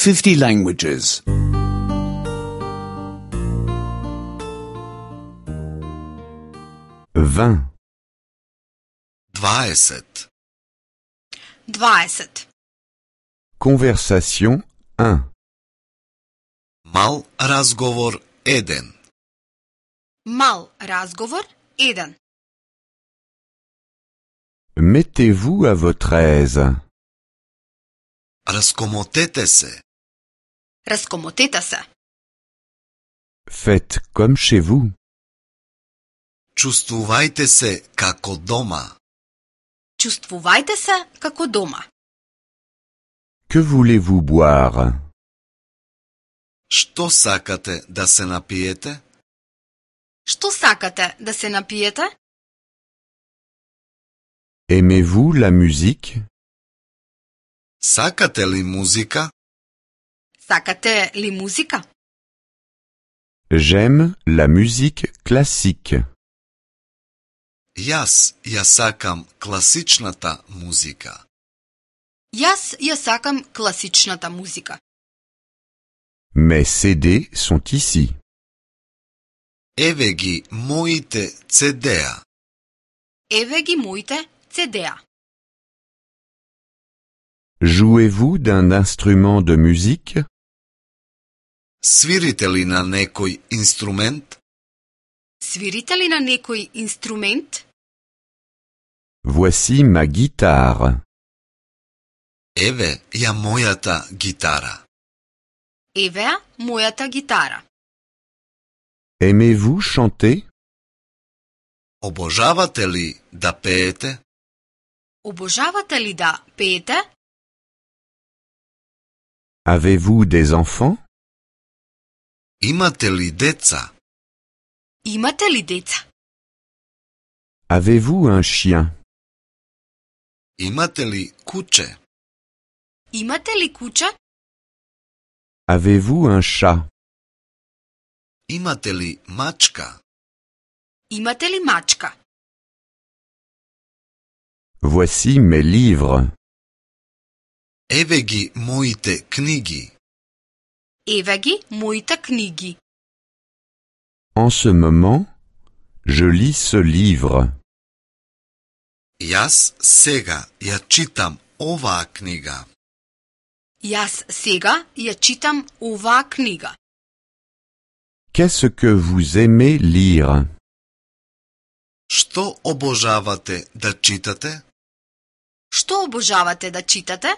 50 languages. 20. 20. 20. Conversation 1. Мал разговор 1. Мал разговор 1. Mettez-vous à votre aise. Раскомотете се. Раскомотете се. Faites comme chez vous. Чувствувајте се како дома. Чувствувајте се како дома. Que voulez-vous boire? Што сакате да се напиете? Што сакате да се напиете? Aimez-vous la musique? Сакате ли музика? Сакате ли музика? J'aime la musique classique. Јас ја сакам класичната музика. Јас ја сакам класичната музика. Mes CD sont ici. Еве ги моите CD-а. Еве ги моите CD-а. Jouez-vous d'un instrument de musique? Свирите ли на некој инструмент? Свирите ли на некој инструмент? Voici ma guitare. Еве ја мојата гитара. Еве ја мојата гитара. Aimez-vous chanter? Обожавате ли да пеете? Обожавате ли да пеете? Avez-vous des enfants? Имате ли деца? Имате ли деца? Avez-vous un chien? Имате ли куче? Имате ли куче? Avez-vous un chat? Имате ли мачка? Имате ли мачка? Voici mes livres. Еве ги моите книги. Еве ги моите книги. En ce moment, je lis ce livre. Јас сега ја читам оваа книга. Јас сега ја читам оваа книга. Qu'est-ce que vous aimez lire? Што обожавате да читате? Што обожавате да читате?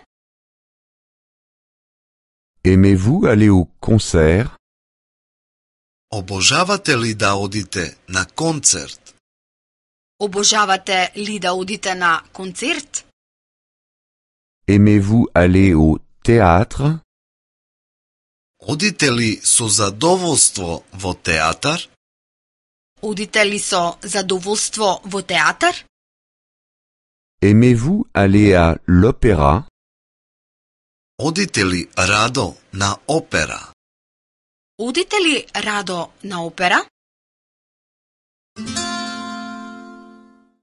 Aimez-vous aller au concert? Обожавате ли да одите на концерт? Обожавате ли да одите на концерт? Aimez-vous aller au théâtre? Одите ли со задоволство во театар? Одите ли со задоволство во театар? Aimez-vous aller à l'opéra? Одите ли радо на опера? Одите ли радо на опера?